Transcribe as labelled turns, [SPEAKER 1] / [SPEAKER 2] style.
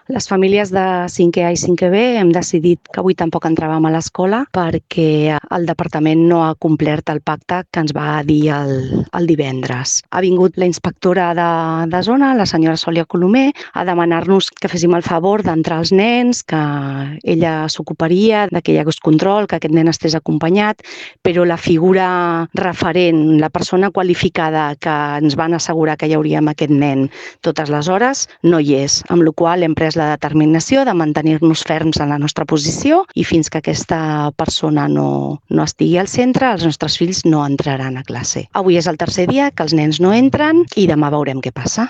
[SPEAKER 1] Les famílies de 5è A i 5è B hem decidit que avui tampoc entràvem a l'escola perquè el departament no ha complert el pacte que ens va dir el divendres. Ha vingut la inspectora de zona, la senyora Sòlia Colomer, a demanar-nos que féssim el favor d'entrar els nens, que ella s'ocuparia, que hi hagués control, que aquest nen estés acompanyat, però la figura referent, la persona qualificada que ens van assegurar que hi hauria amb aquest nen totes les hores, no hi és, amb la qual hem pres la determinació de mantenir-nos ferms en la nostra posició i fins que aquesta persona no estigui al centre, els nostres fills no entraran a classe. Avui és el tercer dia que els nens no entren i demà veurem què passa.